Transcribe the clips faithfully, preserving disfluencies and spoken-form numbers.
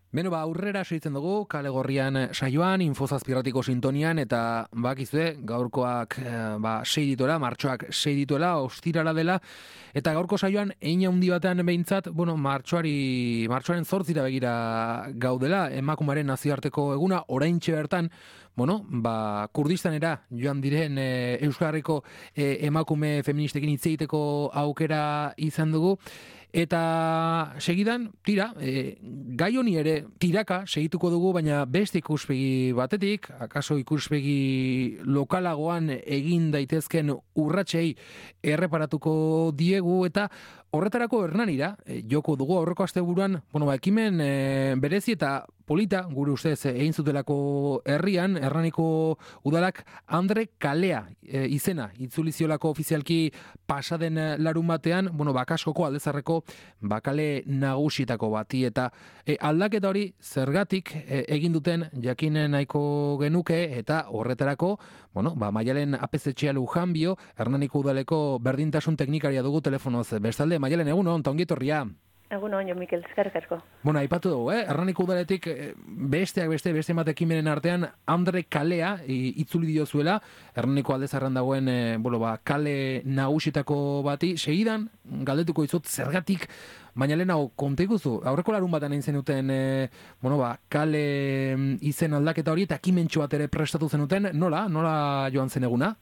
Beno, ba, aurrera segitzen dugu, kale gorrian saioan, infozazpirratiko sintonian, eta bakizue, gaurkoak eh, ba, sei dituela, martxoak sei dituela, ostirala dela, eta gaurko saioan, ein handi batean behintzat, bueno, martxoari, martxoaren zortzira begira gaudela, emakumaren nazioarteko eguna, oraintxe bertan, bueno, ba, Kurdistanera joan diren e, Euskal Herriko e, emakume feministekin hitz egiteko aukera izan dugu. Eta segidan, tira, e, gai honi ere tiraka segituko dugu, baina beste ikuspegi batetik, akaso ikuspegi lokalagoan egin daitezken urratsei erreparatuko diegu, eta horretarako Hernanira, e, joko dugu aurreko asteburuan, bueno, ba, ekimen e, berezi eta polita, gure ustez, egin zutelako herrian, Hernaniko udalak Andre Kalea e, izena, itzuliziolako ofizialki pasaden larun batean, bueno, bakaskoko aldezarreko bakale nagusietako bati, eta e, aldaketa hori zergatik e, egin duten jakinen nahiko genuke, eta horretarako, bueno, ba, Maialen apezetxea Lujanbio, Hernaniko udaleko berdintasun teknikaria dugu telefonoz. Bestalde, Maialen, egun hon, ta ongi etorria. Egun hon, jo, Mikel, eskerrik asko. Bueno, aipatu dugu, eh? Hernaniko udaletik besteak beste, beste emakimenen artean, Andre Kalea itzuli diozuela, Hernaniko aldezarran dagoen, e, bueno, ba, kale nagusitako bati, segidan, galdetuko dizut zergatik, baina lehenago, konta ikuzu, aurreko larun batan egin zenuten, e, bueno, ba, kale izen aldaketa hori, eta ekimentxo bat ere prestatu zenuten, nola, nola joan zen eguna?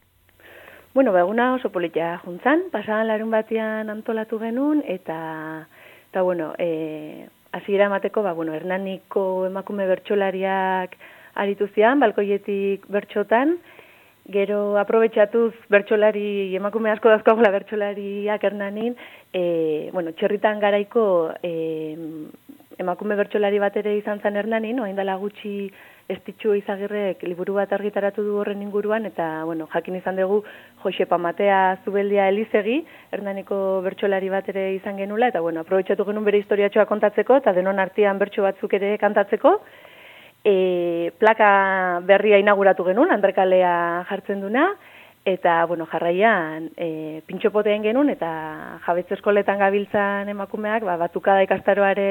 Bueno, ba, eguna oso politia juntzan, pasadan larun batean antolatu genuen, eta... Eta, bueno, e, hasiera emateko, ba, bueno, Hernaniko emakume bertsolariak aritu zian, balkoietik bertxotan, gero aprobetxatuz bertsolari, emakume asko dazkoagula bertsolariak Hernanin, e, bueno, txerritan garaiko e, emakume bertsolari bat ere izan zen Hernanin, oain dela gutxi Estitxu Izagirrek liburu bat argitaratu du horren inguruan, eta, bueno, jakin izan dugu Josepa Matea Zubeldia Elizegi, Hernaniko bertsolari bat ere izan genula, eta, bueno, aprobetxatu genuen bere historiatxoa kontatzeko, eta denon artean bertso batzuk ere kantatzeko. E, plaka berria inauguratu genuen, Andre Kalea jartzen duna, eta, bueno, jarraian e, pintxopoteen genuen, eta jabetze eskoletan gabiltzan emakumeak, ba, batukada ikastaroare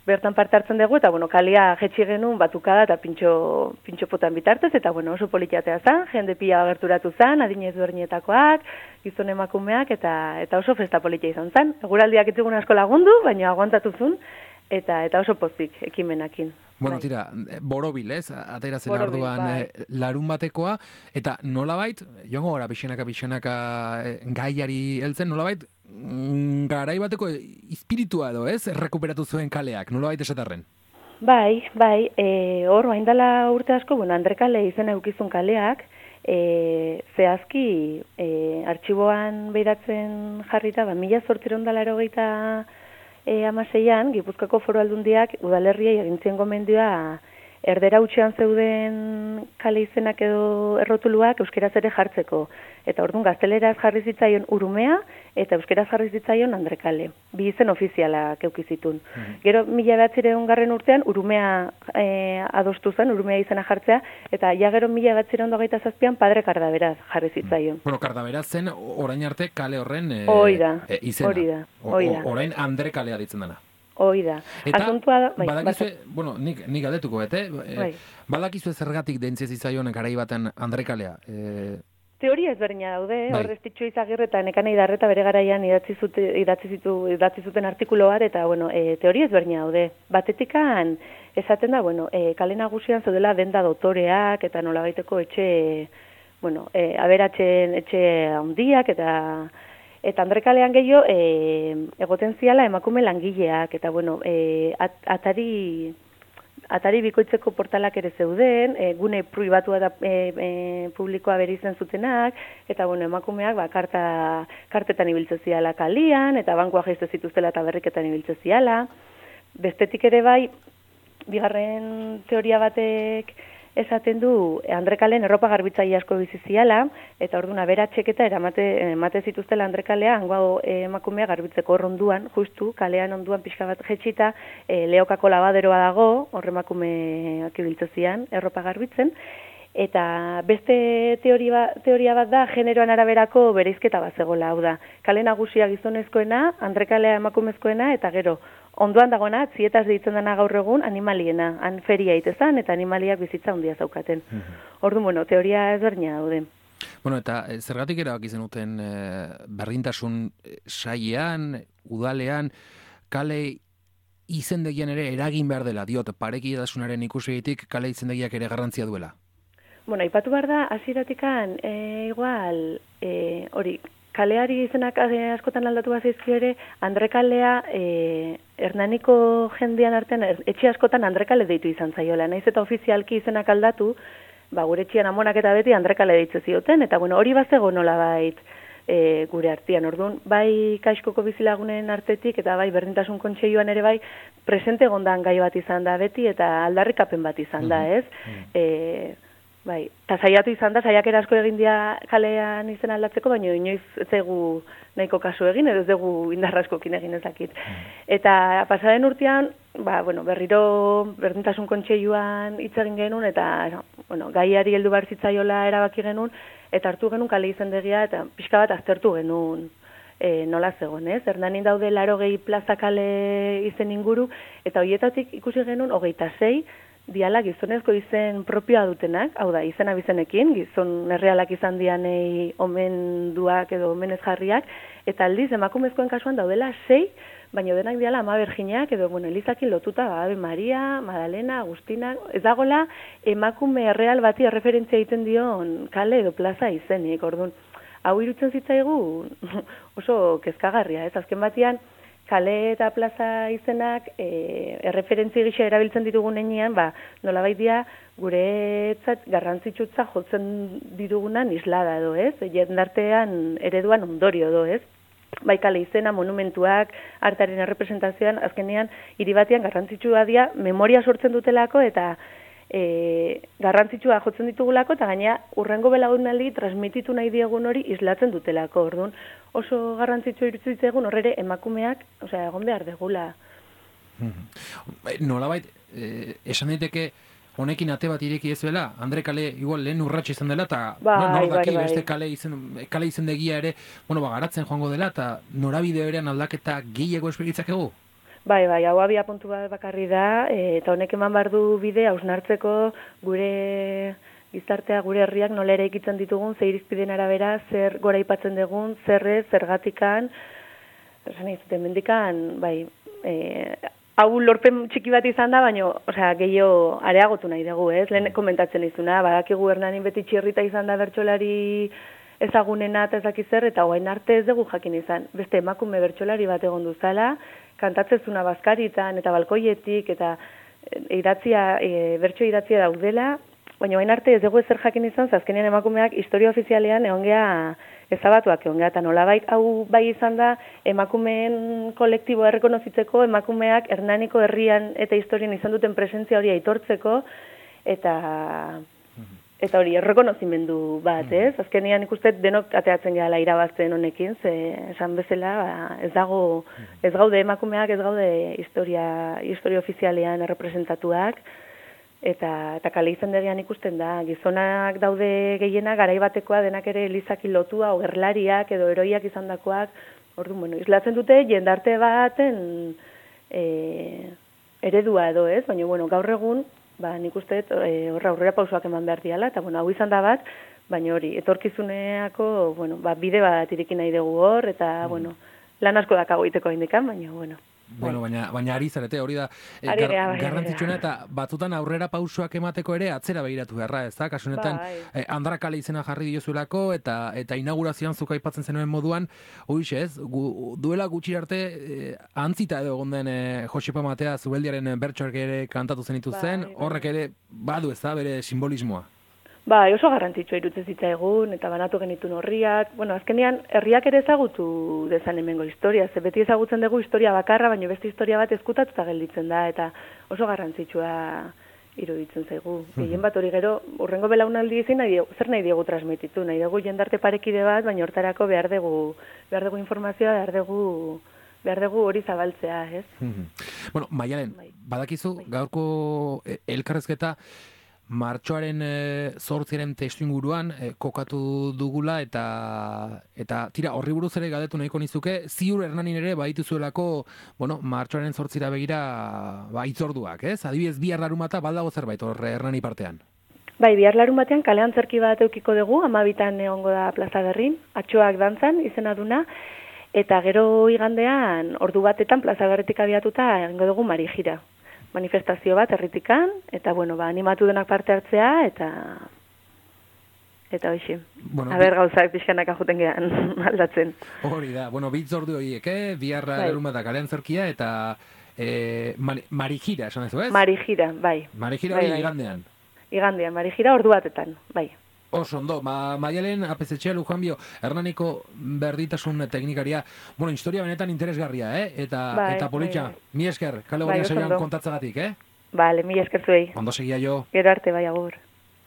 bertan parte hartzen dugu, eta, bueno, kalia jetxi genuen batukada eta pintxo, pintxopotan bitartez, eta, bueno, oso politiatea zen, jende pila gerturatu zen, adinez berdinetakoak, gizon emakumeak, eta eta oso festa politia izan zen. Eguraldiak itzigun asko lagundu, baina aguantatu zuen, eta eta oso pozik ekimenakin. Bueno, tira, borobil, ez? Atera zen arduan bai. Larun batekoa, eta nolabait, joango gara pixenaka pixenaka gaiari heltzen, nolabait, garai bateko espiritua edo, ez? Rekuperatu zuen kaleak, nolabait esatarren? Bai, bai, e, hor, haindala urte asko, bueno, Andre Kale izena eukizun kaleak, e, zehazki, e, artxiboan behiratzen jarrita, ba, mila zortziron dala erogeita E, amaseian, Gipuzkoako Foru Aldundiak udalerriei egintzien gomendioa erdera utxean zeuden kale izenak edo errotuluak euskeraz ere jartzeko. Eta orduan gazteleraz jarri zitzaion Urumea eta euskeraz jarri zitzaion Andre Kale. Bi izen ofizialak eukizitun. Mm-hmm. Gero mila behatzireun garren urtean Urumea e, adostu zen, Urumea izena jartzea, eta ja gero mila behatzireun dogeita zazpian Padre Kardaberaz jarri zitzaion. Bueno, Kardaberaz zen orain arte kale horren e, Oida, e, izena. Hori da, hori da. Orain Andre Kalea ditzen dena. Hoi da. Eta Asuntua da, bai, badakizue, bueno, nik, nik galdetuko, bete? Bai. Badakizue zergatik dentzez izaion garai baten Andre Kalea? E... Teoria ezberdina daude, bai. Hor Estitxu Izagirre eta Nekane Idarreta bere garaian idatzi, zute, idatzi, zitu, idatzi zuten artikulu bat, eta, bueno, e, teoria ezberdina daude. Batetikan, esaten da, bueno, e, kale nagusian zeudela denda dotoreak, eta nolabaiteko etxe, bueno, e, aberatzen etxe handiak, eta... Eta Andre Kalean gehiago, e, egoten ziala emakume langileak, eta, bueno, e, at, atari, atari bikoitzeko portalak ere zeuden, e, gune pribatua da e, e, publikoa bere izen zutenak, eta, bueno, emakumeak, ba, karta, kartetan ibiltze ziala kalian, eta bankoa jaizte zituztela eta berriketan ibiltze ziala. Bestetik ere bai, bigarren teoria batek esaten du Andre Kalen erropa garbitzaile asko bizi ziala, eta orduan aberatxek eta eramate emate zituztela Andre Kalea hango emakumea garbitzeko orronduan, justu kalean onduan pixka bat jetxita, e, Leokako labaderoa dago, hor emakumeak ibiltze zian erropa garbitzen, Eta beste teoria, teoria bat da, generoan araberako bereizketa bat zegoela, hau da. Kale nagusia gizonezkoena, andrekalea emakumezkoena, eta gero, ondoan dagoena, atzietaz deitzen dena gaur egun, animaliena, han feria itezan, eta animaliak bizitza handia zaukaten. Mm Ordu, bueno, teoria ezberdina daude. Bueno, eta zergatik erabaki zenuten e, berdintasun sailean, udalean, kale izendegian ere eragin behar dela, diot, parekidetasunaren ikusegitik kale izendegiak ere garrantzia duela? Bueno, aipatu behar da, hasieratikan e, igual, e, hori, kaleari izenak askotan aldatu bazaizkio ere, Andrekalea, e, Hernaniko jendean artean, er, etxe askotan Andrekale deitu izan zaiola, naiz eta ofizialki izenak aldatu, ba, gure etxean amonak eta beti Andrekale deitze zioten, eta bueno, hori bazego nola bait e, gure artean, orduan, bai Kaixkoko bizilagunen artetik, eta bai berdintasun kontseioan ere bai, presente gondan gai bat izan da beti, eta aldarrikapen bat izan da, ez? E, Bai, eta saiatu izan da, saiakera asko egin dia kalean izen aldatzeko, baina inoiz ez dugu nahiko kasu egin, edo ez dugu indarra askokin egin ezakit. Eta pasaren urtean, ba, bueno, berriro berdintasun kontseiluan hitz egin genuen, eta bueno, gaiari heldu behar zitzaiola erabaki genuen, eta hartu genuen kale izendegia, eta pixka bat aztertu genuen e, nola zegoen, ez? Hernanin daude larogei plaza kale izen inguru, eta horietatik ikusi genuen hogeita sei, diala gizonezko izen propioa dutenak, hau da, izena bizenekin, gizon errealak izan dianei omenduak edo omenez jarriak, eta aldiz emakumezkoen kasuan daudela sei, baina denak diala ama berginak, edo, bueno, Elizakin lotuta, Ave Maria, Madalena, Agustina, ez dagoela emakume erreal bati erreferentzia egiten dion kale edo plaza izenik, orduan, hau irutzen zitzaigu oso kezkagarria, ez, azken batian, kale eta plaza izenak e, erreferentzi gisa erabiltzen ditugun enean, ba, nolabait dia guretzat garrantzitsutza jotzen ditugunan islada edo, ez? Jendartean ereduan ondorio edo, ez? Bai kale izena, monumentuak, artaren errepresentazioan, azkenean hiri batean garrantzitsua dira memoria sortzen dutelako eta e, garrantzitsua jotzen ditugulako eta gaina urrengo belaunaldi transmititu nahi diegun hori islatzen dutelako, orduan oso garrantzitsua iruditzen zitzaigun horrere emakumeak, osea, egon behar degula. Nolabait, eh, esan daiteke honekin ate bat ireki ezuela, Andre kale igual lehen urratxe izan dela, eta bai, nor daki bai, bai. beste kale izen, kale izendegia ere, bueno, ba, garatzen joango dela, eta norabide berean aldaketa gehiago esperitzakegu? Bai, bai, hau abia puntu bat bakarri da, e, eta honek eman behar du bide hausnartzeko gure gizartea, gure herriak nola ere ikitzen ditugun, ze irizpideen arabera, zer gora ipatzen dugun, zerrez, zergatikan, esan izuten mendikan, bai, e, hau lorpen txiki bat izan da, baina, osea, gehiago areagotu nahi dugu, ez? Lehen komentatzen izuna, badakigu Hernanin beti txirrita izan da bertsolari ezagunena eta ezakizer, eta hoain arte ez dugu jakin izan. Beste emakume bertsolari bat egon duzala, kantatzezuna bazkaritan eta balkoietik, eta idatzia, e, bertso idatzia daudela, baina hain arte ez dugu ezer jakin izan, azkenean emakumeak historia ofizialean egon geha ezabatuak egon geha, eta nolabait hau bai izan da emakumeen kolektiboa errekonozitzeko, emakumeak Hernaniko herrian eta historian izan duten presentzia hori aitortzeko, eta eta hori errekonozimendu bat, ez? Azkenean ikustet denok ateatzen gehala irabazten honekin, ze esan bezala ba, ez dago, ez gaude emakumeak, ez gaude historia, historia ofizialean errepresentatuak, eta eta kale izendegian ikusten da, gizonak daude gehiena garai batekoa denak ere Elizaki lotua, ogerlariak edo heroiak izandakoak, orduan, bueno, islatzen dute jendarte baten e, eredua edo, ez? Baina, bueno, gaur egun, ba, nik uste e, horra aurrera pausoak eman behar diala, eta, bueno, hau izan da bat, baina hori, etorkizuneako, bueno, ba, bide bat irekin nahi dugu hor, eta, mm. bueno, lan asko dakago iteko indikan, baina, bueno. Bueno, baina, baina ari zarete, hori da eh, Ari gar, gea, bai, garrantzitsuena, eta batzutan aurrera pausoak emateko ere atzera begiratu beharra, ez da? Kasunetan, Bai. eh, Andra kale izena jarri diozuelako, eta eta inaugurazioan zuk aipatzen zenuen moduan, hoiz ez, gu, duela gutxi arte eh, antzita edo egon den eh, Josepa Matea Zubeldiaren bertsoak ere kantatu zenitu zen, Bai, bai. horrek ere badu, ez da, bere simbolismoa. Ba, oso garrantzitsua irutzen zitzaigun, eta banatu genitun horriak. Bueno, azkenean, herriak ere ezagutu dezan hemengo historia. Ze beti ezagutzen dugu historia bakarra, baina beste historia bat ezkutatuta gelditzen da, eta oso garrantzitsua iruditzen zaigu. Gehien bat hori gero, urrengo belaunaldi ezin nahi diegu, zer nahi diegu transmititu, nahi dugu jendarte parekide bat, baina hortarako behar dugu, behar dugu informazioa, behar dugu, behar dugu hori zabaltzea, ez? Bueno, Maialen, Bai. badakizu, Bai. gaurko elkarrezketa, martxoaren e, zortziaren testu inguruan e, kokatu dugula eta eta tira horri buruz ere galdetu nahiko nizuke, ziur Hernanin ere badituzuelako, bueno, martxoaren zortzira begira ba, itzorduak, ez? Adibidez, bihar larunbata baldago zerbait hor Hernani partean. Bai, bihar larun batean kalean zerki bat eukiko dugu, amabitan egongo da Plaza Berrin, atxoak dantzan izena duna, eta gero igandean ordu batetan Plaza Berritik abiatuta egingo dugu Marijira. Manifestazio bat herritikan, eta bueno, ba, animatu denak parte hartzea, eta eta hoxe. Bueno, a ber gauzak pixkanak ajuten gehan aldatzen. Hori da, bueno, bitz ordu horiek, eh? Bihar larun bata kalean zerkia, eta eh, Marijira, esan ez? Marijira, bai. Marijira hori bai, bai. igandean. Igandean, Marijira ordu batetan, bai. Oso ondo, ma, Maialen apezetxea Lujanbio, Hernaniko berditasun teknikaria, bueno, historia benetan interesgarria, eh? Eta, bai, eta politxa, bai, bai. Mi esker, kale gorria bai, saioan kontatzagatik, eh? Bale, mi esker zuei. Ondo segia jo. Gero arte, bai, agur.